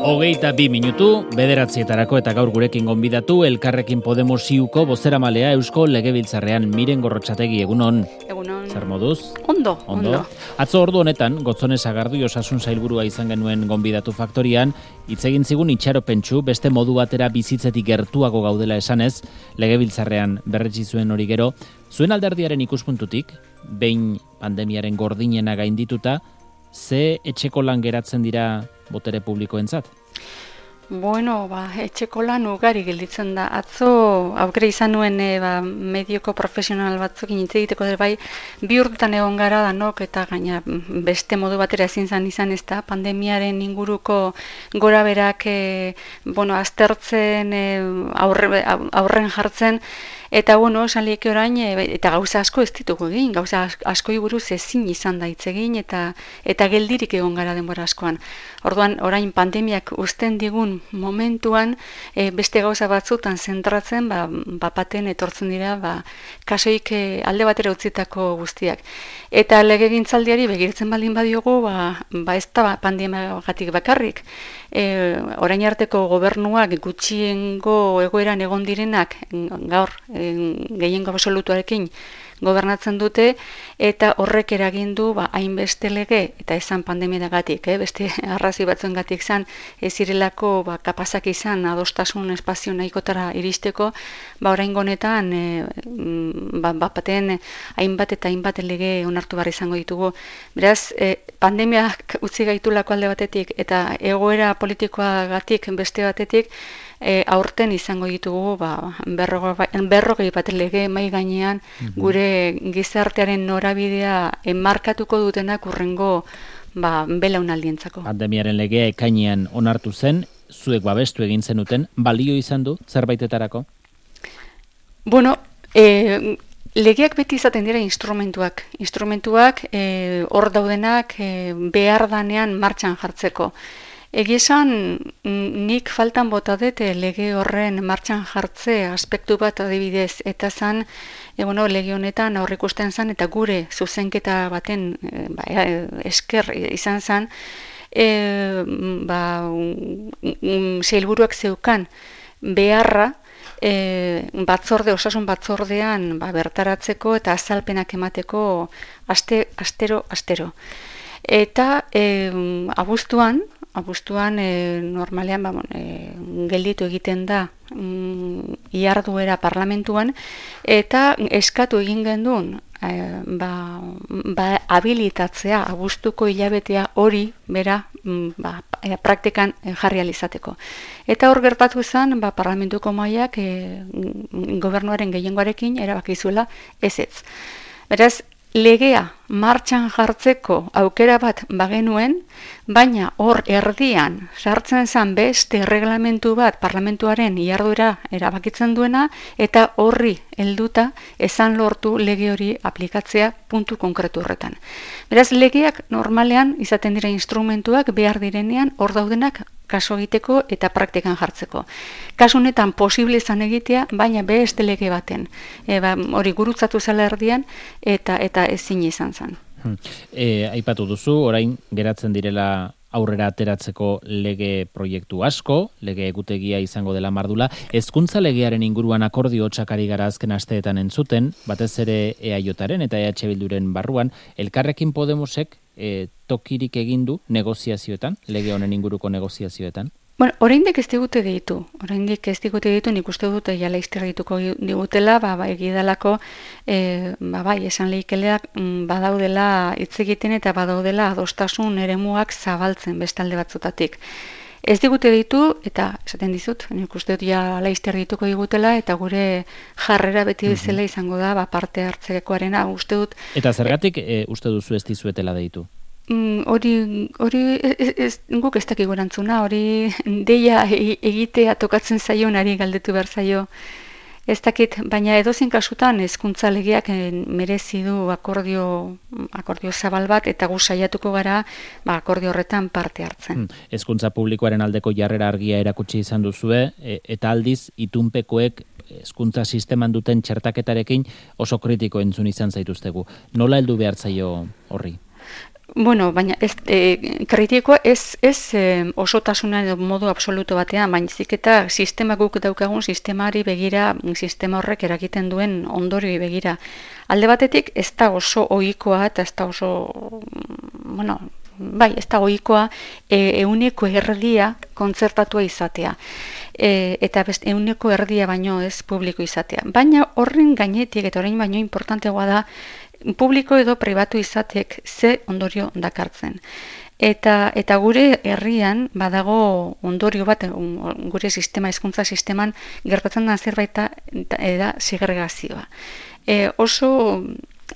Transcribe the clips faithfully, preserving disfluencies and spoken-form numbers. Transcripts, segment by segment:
Hogeita bi minutu, bederatzietarako eta gaur gurekin gonbidatu Elkarrekin Podemos iuko bozeramalea Eusko Legebiltzarrean Miren Gorrotxategi, egunon. Egunon. Zer moduz? Ondo, ondo. Atzo ordu honetan, Gotzone Sagardu osasun sailburua izan genuen gonbidatu faktorian, hitz egin zigun itxaropentsu beste modu batera bizitzetik gertuago gaudela esanez, Legebiltzarrean berretsi zuen hori gero, zuen alderdiaren ikuspuntutik, behin pandemiaren gordinena gaindituta, ze etxeko lan geratzen dira botere publikoentzat? Bueno, ba, etxeko lan ugari gelditzen da. Atzo aukera izan nuen e, ba, medioko profesional batzuk hitz egiteko dut bai, bi urtetan egon gara danok eta gaina beste modu batera ezin zan izan ez da, pandemiaren inguruko gora berak e, bueno, aztertzen, e, aurre, aurren jartzen, eta bueno, esan lieke orain, eta gauza asko ez ditugu egin, gauza askoi buruz ezin izan da hitz egin, eta eta geldirik egon gara denbora askoan. Orduan, orain pandemiak uzten digun momentuan, e, beste gauza batzutan zentratzen, ba, bapaten etortzen dira, ba, kasoik e, alde batera utzitako guztiak. Eta legegintzaldiari begirtzen baldin badiogu, ba, ba ez da pandemiagatik bakarrik. E, orain arteko gobernuak gutxiengo egoeran egon direnak gaur e, gehiengo absolutuarekin gobernatzen dute, eta horrek eragin du ba, hainbeste lege, eta esan pandemiagatik, eh? beste arrazoi batzuengatik izan, ez zirelako ba, kapazak izan adostasun espazio nahikotara iristeko, ba, oraingo honetan e, ba, bapaten hainbat eta hainbat lege onartu behar izango ditugu. Beraz, e, pandemiak utzi gaitulako alde batetik, eta egoera politikoagatik beste batetik, E, aurten izango ditugu ba, berrogei bat lege mai gainean gure gizartearen norabidea enmarkatuko dutenak urrengo ba, belaunaldientzako. Pandemiaren legea ekainean onartu zen, zuek babestu egin zenuten, balio izan du zerbaitetarako? Bueno, e, legeak beti izaten dira instrumentuak. Instrumentuak e, hor daudenak e, behar danean martxan jartzeko. Egizan, nik faltan bota dut lege horren martxan jartze aspektu bat adibidez, eta zan, e, bueno, lege honetan aurrikusten zan, eta gure zuzenketa baten e, ba, esker izan zan, e, ba, sailburuak zeukan beharra, e, batzorde, osasun batzordean ba, bertaratzeko eta azalpenak emateko aste, astero, astero. Eta e, abuztuan, abuztuan e, normalean ba, e, gelditu egiten da mm, iharduera parlamentuan, eta eskatu egin gendun e, ba, ba, habilitatzea abuztuko hilabetea hori bera ba, e, praktikan jarri alizateko. Eta hor gertatu zen ba, parlamentuko mailak e, gobernuaren gehiengoarekin erabakizuela ez ez. Beraz, legea martxan jartzeko aukera bat bagenuen, baina hor erdian sartzen zen beste erreglamentu bat parlamentuaren iharduera erabakitzen duena, eta horri helduta esan lortu lege hori aplikatzea puntu konkretu horretan. Beraz, legeak normalean izaten dira instrumentuak behar direnean hor daudenak kaso egiteko eta praktikan jartzeko. Kasu honetan posible izan egitea, baina beste lege baten. E, ba, hori gurutzatu zela erdian eta eta ezin izan zen. E, aipatu duzu, orain geratzen direla aurrera ateratzeko lege proiektu asko, lege egutegia izango dela mardula. Hezkuntza legearen inguruan akordio hotxakari gara azken asteetan entzuten, batez ere E A Jaren eta E H Bilduren barruan, Elkarrekin Podemosek e, tokirik egin du negoziazioetan, lege honen inguruko negoziazioetan? Bueno, oraindik ez digute ditu, oraindik ez digute ditu, nik uste dute ja laizter dituko digutela, ba, ba egidalako, e, ba, bai, esan lehikeleak badaudela hitz egiten eta badaudela adostasun eremuak zabaltzen bestalde batzutatik. Ez digute ditu, eta esaten dizut, nik uste dut ja laizter dituko digutela, eta gure jarrera beti bezala izango da, ba, parte hartzekoarena, uste dut. Eta zergatik e, uste duzu ez dizuetela deitu? Hori, hori ez, ez, guk ez dakik erantzuna, hori deia egitea tokatzen zaionari galdetu behar zaio. Ez dakit, baina edozein kasutan hezkuntza legeak merezi du akordio, akordio zabal bat, eta gu saiatuko gara ba, akordio horretan parte hartzen. Hezkuntza publikoaren aldeko jarrera argia erakutsi izan duzue, e, eta aldiz itunpekoek hezkuntza sisteman duten txertaketarekin oso kritiko entzun izan zaituztegu. Nola heldu behar zaio horri? Bueno, baina ez, e, kritikoa ez, ez e, osotasuna edo modu absoluto batean, baina zik eta sistema guk daukagun sistemari begira, sistema horrek eragiten duen ondori begira. Alde batetik ez da oso ohikoa eta ez da oso, bueno, bai, ez da ohikoa e, euneko erdia kontzertatua izatea. E, eta best, euneko erdia baino ez publiko izatea. Baina horren gainetik eta orain baino importanteagoa da publiko edo pribatu izatek ze ondorio dakartzen. Eta, eta gure herrian badago ondorio bat, gure sistema, hezkuntza sisteman gertatzen da zerbait da segregazioa. E, oso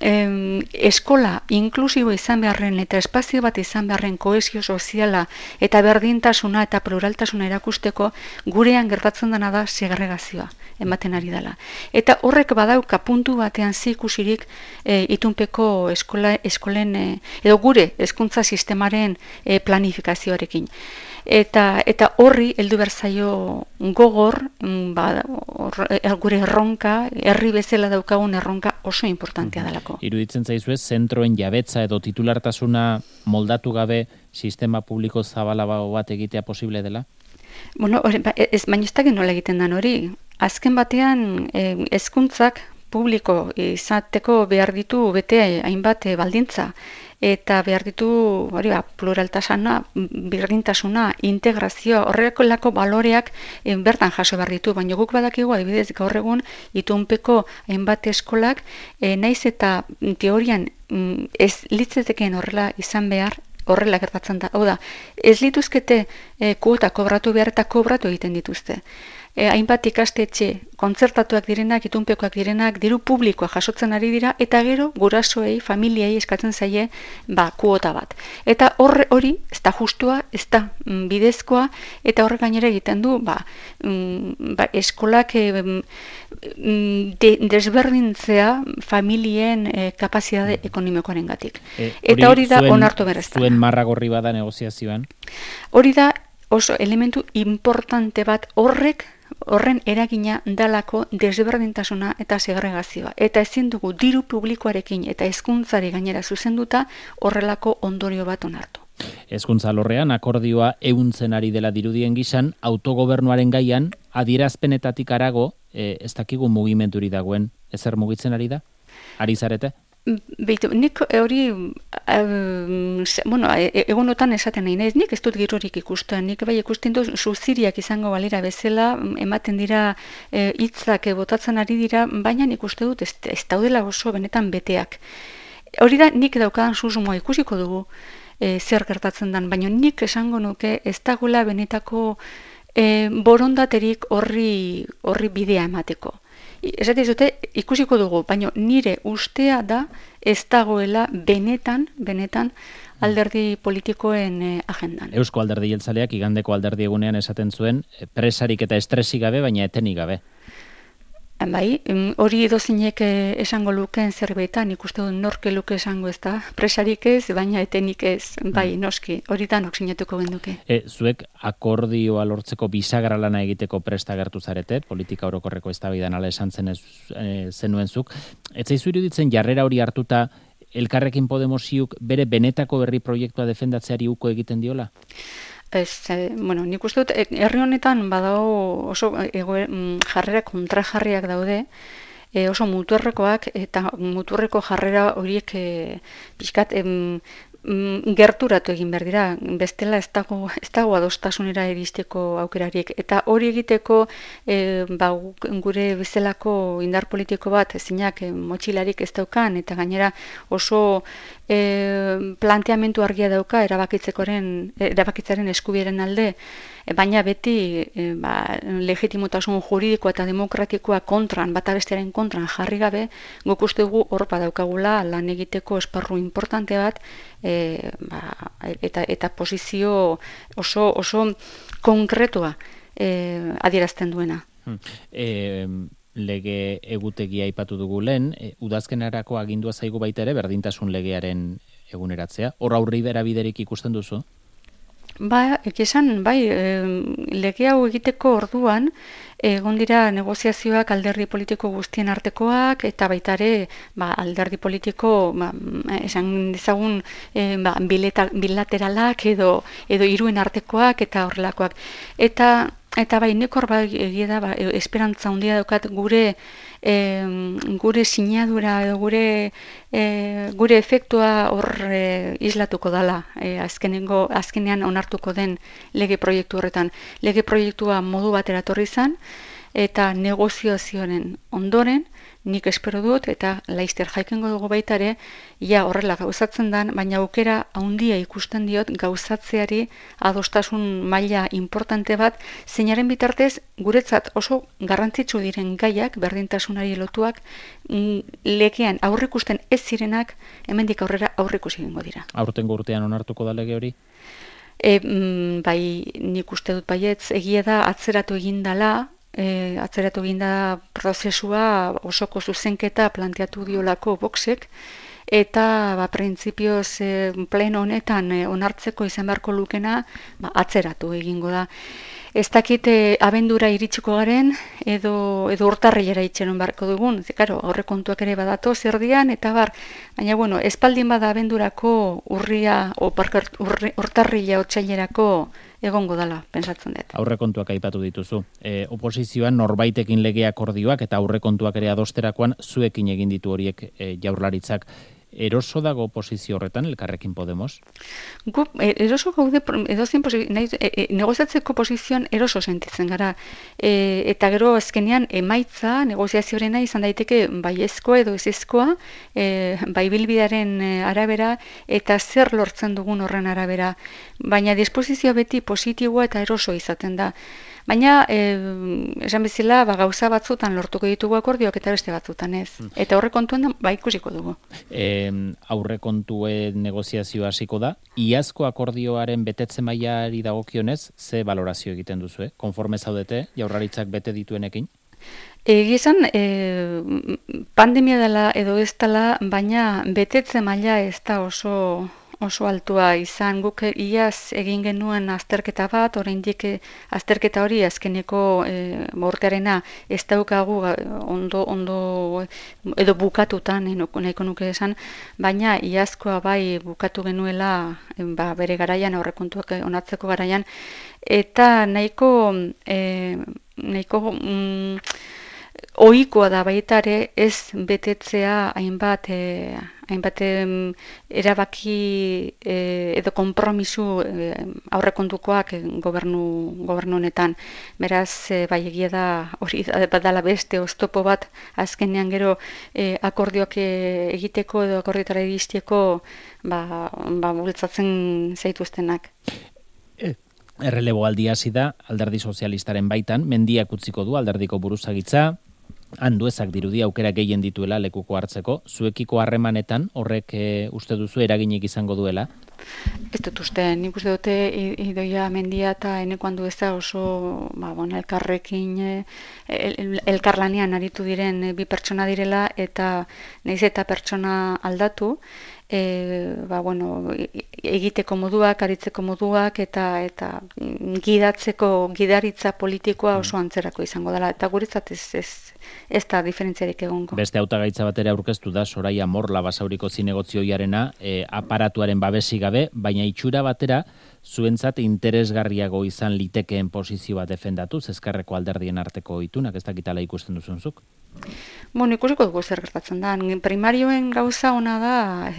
em, eskola inklusibo izan beharren eta espazio bat izan beharren kohesio soziala eta berdintasuna eta pluraltasuna erakusteko gurean gertatzen dena da segregazioa ematen ari dela. Eta horrek badauka puntu batean zikusirik e, itunpeko eskola, eskolen e, edo gure hezkuntza sistemaren e, planifikazioarekin. Eta, eta horri heldu berzaio gogor, ba, or, gure erronka, herri bezala daukagun erronka oso importantea delako. Iruditzen zaizu ez, zentroen jabetza edo titulartasuna moldatu gabe sistema publiko zabalago bat egitea posible dela? Bueno, ez, baina ez dakit nola egiten dan hori. Azken batean, hezkuntzak publiko izateko behar ditu bete hainbat baldintza. Eta behar ditu hori ba, pluraltasuna, berdintasuna, integrazioa, horrekolako baloreak e, bertan jaso behar ditu. Baina guk badakigu adibidez gaur egun itunpeko hainbat eskolak e, naiz eta teorian mm, ez litzeteken horrela izan behar, horrela gertatzen da. Hau da, ez lituzkete e, kuota kobratu behar eta kobratu egiten dituzte. E, hainbat ikastetxe kontzertatuak direnak, itunpekoak direnak, diru publikoa jasotzen ari dira, eta gero gurasoei, familiei eskatzen zaie ba, kuota bat. Eta horre hori, ez da justua, ez da mm, bidezkoa, eta horrek gainera egiten du, ba, mm, ba, eskolak e, de, desberdintzea familien e, kapazitate ekonomikoaren gatik. E, eta hori da onartu berrezta. Zuen marra gorri bada negoziazioan? Hori da oso elementu importante bat horrek horren eragina dalako desberdintasuna eta segregazioa. Eta ezin dugu diru publikoarekin eta hezkuntzari gainera zuzenduta horrelako ondorio bat onartu. Hezkuntza alorrean akordioa ehuntzen ari dela dirudien gisan, autogobernuaren gaian adierazpenetatik harago, e, ez dakigu mugimenduri dagoen, ezer mugitzen ari da? Ari zarete? Beitu, nik hori, um, bueno, egunotan esaten nahi naiz, nik ez dut girorik ikusten, nik bai ikusten dut suziriak izango balira bezala, ematen dira hitzak e, botatzen ari dira, baina nik uste dut ez, ez daudela oso benetan beteak. Hori da nik daukadan susmoa ikusiko dugu e, zer gertatzen dan, baina nik esango nuke ez dagoela benetako e, borondaterik horri, horri bidea emateko. Esaten dute ikusiko dugu, baina nire ustea da ez dagoela benetan, benetan alderdi politikoen eh, agendan. Eusko Alderdi Jeltzaleak igandeko alderdi egunean esaten zuen presarik eta estresik gabe, baina etenik gabe. Bai, hori edozinek esango lukeen zerbetan, ikuste dut norke luke esango ez da, presarik ez, baina etenik ez, bai, noski, hori da nok sinatuko genduke. E, zuek akordioa lortzeko bisagra lana egiteko presta gertu zarete, politika orokorreko eztabaidan ala esan zen ez, e, zenuen zuk. Ez zaizu iruditzen jarrera hori hartuta Elkarrekin Podemosiuk bere benetako herri proiektua defendatzeari uko egiten diola? Ez, eh, bueno, nik uste dut, herri honetan badago oso ego, jarrera kontrajarriak daude, e, oso muturrekoak, eta muturreko jarrera horiek e, pixkat em, gerturatu egin behar dira, bestela ez dago, ez dago adostasunera iristeko aukerarik. Eta hori egiteko e, ba, gure bezalako indar politiko bat ezinak e, motxilarik ez daukan, eta gainera oso e, planteamendu argia dauka erabakitzekoren, erabakitzaren eskubieren alde, e, baina beti e, ba, legitimotasun juridikoa eta demokratikoa kontran, bata bestearen kontran jarri gabe, guk uste dugu hor badaukagula lan egiteko esparru importante bat, E, ba, eta, eta posizio oso, oso konkretua e, adierazten duena. E, lege egutegia aipatu dugu lehen, e, udazkenarako agindua zaigu baita ere berdintasun legearen eguneratzea. Hor aurri berabiderik ikusten duzu? Ba, esan, bai, e, lege hau egiteko orduan, egon dira negoziazioak alderdi politiko guztien artekoak, eta baita ere, ba, alderdi politiko, ba, esan dezagun, e, ba, bileta, bilateralak edo, edo iruen artekoak eta horrelakoak. Eta, eta bai, nekor bai, egia da, ba, esperantza handia daukat gure E, gure sinadura edo gure e, gure efektua hor e, islatuko dala e, azkenengo azkenean onartuko den lege proiektu horretan. Lege proiektua modu batera etorri izan eta negoziazioaren ondoren nik espero dut eta laizter jaikengo dugu baita ere ja horrela gauzatzen dan, baina aukera handia ikusten diot gauzatzeari adostasun maila importante bat, zeinaren bitartez guretzat oso garrantzitsu diren gaiak, berdintasunari lotuak, legean aurrikusten ez zirenak, hemendik aurrera aurrikusi egingo dira. Aurtengo urtean onartuko da lege hori? E, bai, nik uste dut baietz, egia da atzeratu egin dala, E, atzeratu ginda prozesua osoko zuzenketa planteatu diolako boxek, eta ba, printzipioz e, pleno honetan e, onartzeko izan beharko lukena ba, atzeratu egingo da. Ez dakit e, abendura iritsiko garen, edo, edo urtarrilera itxeron beharko dugun, claro, aurrekontuak ere badatoz erdian, eta bar, baina bueno, espaldin bada abendurako urria, o parkart, urri, urtarrila otsailerako egongo dala, pentsatzen dut. Aurrekontuak aipatu dituzu. E, oposizioan norbaitekin lege akordioak eta aurrekontuak ere adosterakoan zuekin egin ditu horiek e, Jaurlaritzak. Eroso dago oposizio horretan, Elkarrekin Podemos? Gu, eroso gaude, edozein e, e, negoziatzeko posizioan eroso sentitzen gara. E, eta gero azkenean emaitza negoziazioarena izan daiteke baiezkoa edo ezezkoa, e, bai bilbidearen arabera eta zer lortzen dugun horren arabera. Baina disposizioa beti positiboa eta eroso izaten da. Baina, e, esan bezala, ba, gauza batzutan lortuko ditugu akordioak eta beste batzutan ez. Eta aurrekontuan ba ikusiko dugu. E, aurrekontuen negoziazioa hasiko da. Iazko akordioaren betetze mailari dagokionez, ze valorazio egiten duzu, eh? Konforme zaudete, Jaurlaritzak bete dituenekin? Egia esan, e, pandemia dela edo ez dela, baina betetze maila ez da oso... oso altua izan, guk iaz egin genuen azterketa bat, oraindik azterketa hori azkeneko e, mortearena ez daukagu ondo, ondo edo bukatutan, nahiko nuke esan, baina iazkoa bai bukatu genuela ba, bere garaian, aurrekontuak onartzeko garaian, eta nahiko, e, nahiko mm, ohikoa da baita ere ez betetzea hainbat e, hainbat erabaki e, edo konpromisu e, aurrekontukoak gobernu gobernu honetan. Beraz, e, bai egia da hori badala beste oztopo bat azkenean gero e, akordioak egiteko edo akordiotara iristeko ba, ba bultzatzen zaituztenak. Errelebo aldia hasi da Alderdi Sozialistaren baitan, mendiak utziko du alderdiko buruzagitza, handuezak dirudi aukera gehien dituela lekuko hartzeko, zuekiko harremanetan horrek e, uste duzu eraginik izango duela? Ez dut uste, nik uste dute Idoia Mendia eta Eneko Andueza oso ba, bon, elkarrekin el, elkarlanean aritu diren bi pertsona direla eta nahiz eta pertsona aldatu, E, ba, bueno, egiteko moduak, aritzeko moduak eta eta gidatzeko gidaritza politikoa oso antzerako izango dela eta guretzat ez ez ez da diferentziarik egongo. Beste hautagaitza batera aurkeztu da Soraia Morla Basauriko zinegozioiarena, e, aparatuaren babesi gabe, baina itxura batera zuentzat interesgarriago izan litekeen posizio bat defendatuz Ezkerreko alderdien arteko itunak, ez dakitala ikusten duzunzuk? Bueno, ikusiko dugu zer gertatzen da. Primarioen gauza ona da,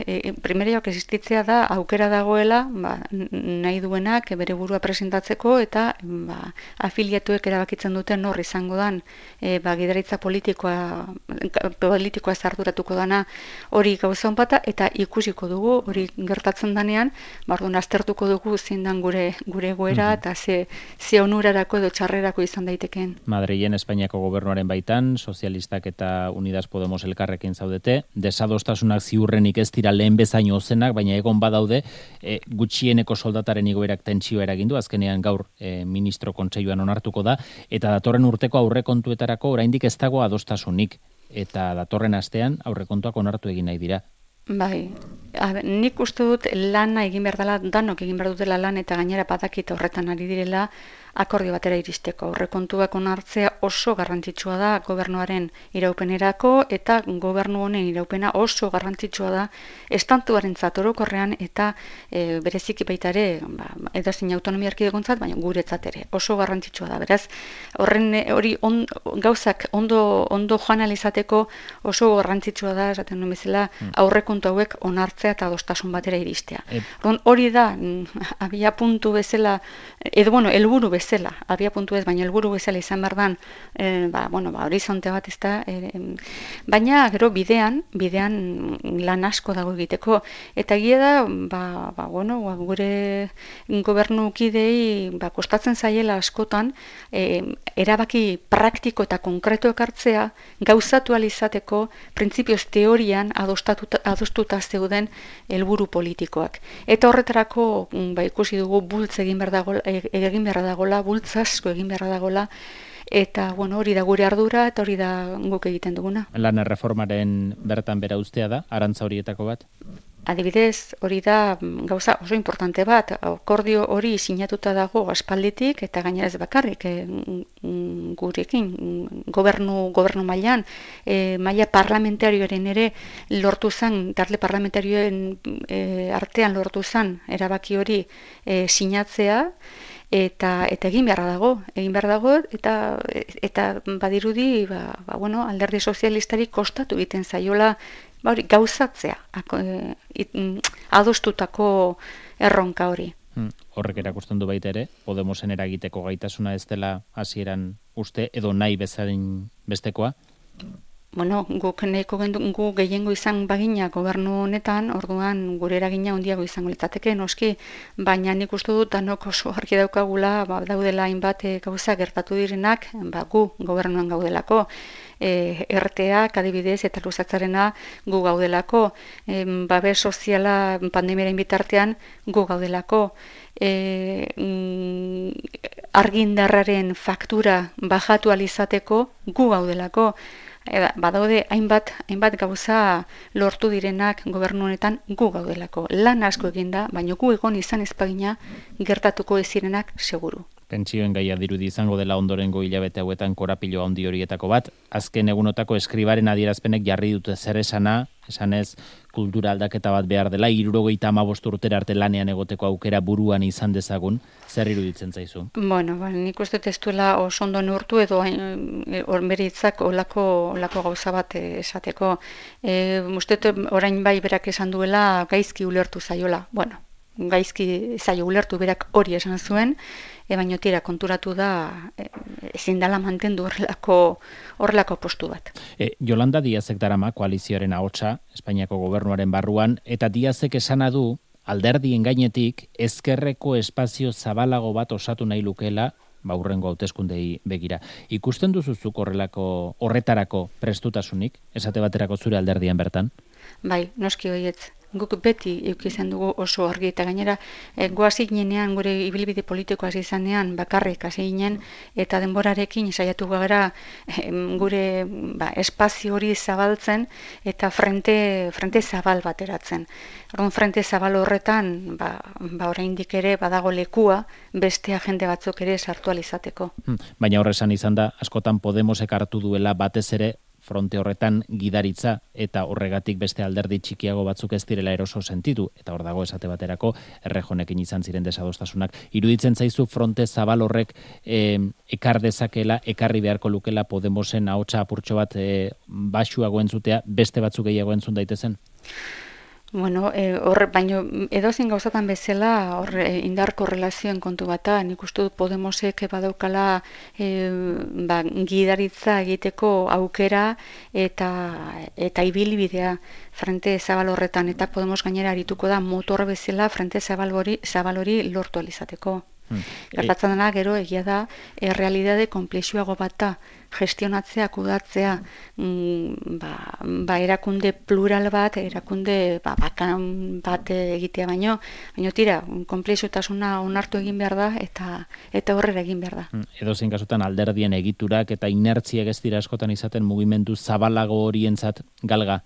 e, primarioak existitzea da, aukera dagoela, ba, nahi duenak bere burua presentatzeko eta ba, afiliatuek erabakitzen duten nor izango dan, e, ba, gidaritza politikoa, politikoa zarduratuko dana hori gauza honpata eta ikusiko dugu hori gertatzen danean, bardun aztertuko dugu zindan gure gure goera mm-hmm. eta ze, ze onurarako edo txarrerako izan daitekeen. Madrilen Espainiako gobernuaren baitan, sozialistak eta Unidas Podemos elkarrekin zaudete, desadostasunak ziurrenik ez dira lehen bezain ozenak, baina egon badaude, e, gutxieneko soldataren igoerak tentsioa eragindu, azkenean gaur e, ministro kontseiluan onartuko da, eta datorren urteko aurrekontuetarako oraindik ez dago adostasunik, eta datorren astean aurrekontuak onartu egin nahi dira. Bai, a, nik uste dut lana egin behar dela, danok egin behar dutela lan eta gainera badakit horretan ari direla akordio batera iristeko. Aurrekontuak onartzea oso garrantzitsua da gobernuaren iraupenerako eta gobernu honen iraupena oso garrantzitsua da estantuarentzat orokorrean eta e, bereziki baita ere, ba, edozein autonomia erkidegontzat, baina guretzat ere oso garrantzitsua da. Beraz, horren hori on, gauzak ondo ondo joan alizateko oso garrantzitsua da, esaten duen bezala, aurrekontu hauek onartzea eta adostasun batera iristea. E... Hori da abia puntu bezala, edo bueno, helburu bezala zela, abia puntu ez, baina helburu bezala izan behar dan, e, ba, bueno, ba, horizonte bat ez da, e, baina gero bidean, bidean lan asko dago egiteko, eta egia da, ba, ba, bueno, ba, gure gobernu kidei, ba, kostatzen zaiela askotan, e, erabaki praktiko eta konkreto ekartzea, gauzatu alizateko, printzipioz teorian adostuta zeuden helburu politikoak. Eta horretarako, ba, ikusi dugu bultz egin behar dagoela, egin behar dagoela, bultz asko egin beharra dagoela, eta bueno, hori da gure ardura, eta hori da guk egiten duguna. Lan erreformaren bertan bera ustea da, arantza horietako bat? Adibidez, hori da gauza oso importante bat, akordio hori sinatuta dago aspalditik, eta gainera ez bakarrik, e, gurekin, gobernu, gobernu mailan, e, maila parlamentarioaren ere lortu zen, talde parlamentarioen e, artean lortu zen, erabaki hori e, sinatzea, eta eta egin beharra dago, egin behar dago eta eta badirudi, ba, ba bueno, Alderdi Sozialistari kostatu egiten zaiola, ba hori gauzatzea, ako, e, it, adostutako erronka hori. Hmm. Horrek erakusten du baita ere, Podemosen eragiteko gaitasuna ez dela hasieran uste edo nahi bezain bestekoa? Bueno, guk nahiko gu gehiengo izan bagina gobernu honetan, orduan gure eragina handiago izango litzateke noski, baina nik uste dut danok oso argi daukagula, ba, daudela hainbat e, gauza gertatu direnak, ba, gu gobernuan gaudelako, e, erteak adibidez eta luzatzarena gu gaudelako, e, babes soziala pandemiaren bitartean gu gaudelako, e, mm, argindarraren faktura bajatu alizateko gu gaudelako. Eda, badaude hainbat, hainbat gauza lortu direnak gobernu honetan gu gaudelako. Lan asko eginda, baina gu egon izan ezpagina gertatuko ez zirenak seguru. Pentsioen gaia dirudi izango dela ondorengo hilabete hauetan korapilo handi horietako bat. Azken egunotako eskribaren adierazpenek jarri dute zer esana, esanez kultura aldaketa bat behar dela, hirurogeita hamabost urtera arte lanean egoteko aukera buruan izan dezagun, zer iruditzen zaizu? Bueno, ba, nik uste ez duela oso ondo neurtu edo bere hitzak olako, olako gauza bat esateko. E, uste orain bai berak esan duela gaizki ulertu zaiola. Bueno, gaizki zaio ulertu berak hori esan zuen, e, baino tira konturatu da e, ezin dela mantendu horrelako horrelako postu bat. E, Yolanda Díazek darama koalizioaren ahotsa Espainiako gobernuaren barruan, eta Díazek esana du alderdien gainetik ezkerreko espazio zabalago bat osatu nahi lukela, ba hurrengo hauteskundei begira. Ikusten duzuzuk horrelako horretarako prestutasunik, esate baterako zure alderdian bertan? Bai, noski hoietz. Guk beti eukizan dugu oso argi eta gainera e, goazik ginean gure ibilbide politiko hasi izanean bakarrik hasi ginen eta denborarekin saiatu gara e, gure ba, espazio hori zabaltzen eta frente, frente zabal bateratzen. Orduan frente zabal horretan ba, ba oraindik ere badago lekua beste agente batzuk ere sartu alizateko. Hmm, baina horresan izan da askotan Podemosek hartu duela batez ere fronte horretan gidaritza eta horregatik beste alderdi txikiago batzuk ez direla eroso sentitu eta hor dago esate baterako Errejonekin izan ziren desadostasunak. Iruditzen zaizu fronte zabal horrek e, ekar dezakela, ekarri beharko lukela Podemosen ahotsa apurtxo bat e, baxuago entzutea beste batzuk gehiago entzun daitezen? Bueno, eh, hor, baino edozein gauzatan bezala hor eh, indar korrelazioen kontu bata, nik uste dut Podemosek badaukala eh, ba, gidaritza egiteko aukera eta eta ibilbidea frente zabal horretan eta Podemos gainera arituko da motor bezala frente zabal hori zabal hori lortu alizateko. Hmm. Gertatzen dena gero egia da errealitate konplexuago bat da gestionatzea, kudatzea mm, ba, ba erakunde plural bat, erakunde ba, bakan bat egitea baino, baino tira, konplexutasuna onartu egin behar da eta eta horrera egin behar da. Hmm. Edozein kasutan alderdien egiturak eta inertziak ez dira askotan izaten mugimendu zabalago horientzat galga?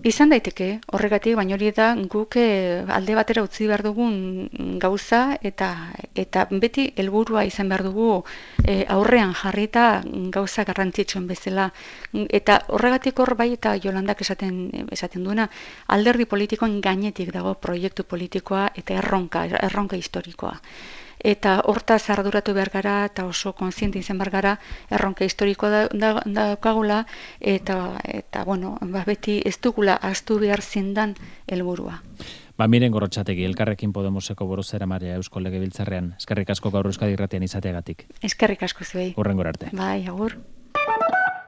Izan daiteke, horregatik, baina hori da guk alde batera utzi behar dugun gauza eta eta beti helburua izan behar dugu e, aurrean jarrita gauza garrantzitsuen bezala. Eta horregatik hor bai eta Jolandak esaten esaten duena, alderdi politikoen gainetik dago proiektu politikoa eta erronka, erronka historikoa. Eta hortaz arduratu behar gara eta oso kontziente izan behar gara erronka historikoa daukagula da, eta, eta bueno, ba, beti ez dugula ahaztu behar zindan helburua. Ba, Miren Gorrotxategi, Elkarrekin Podemoseko buruzera Maria Eusko Legebiltzarrean. Eskerrik asko gaur Euskadi Irratian izateagatik. Eskerrik asko zuei. Hurrengora arte. Bai, agur.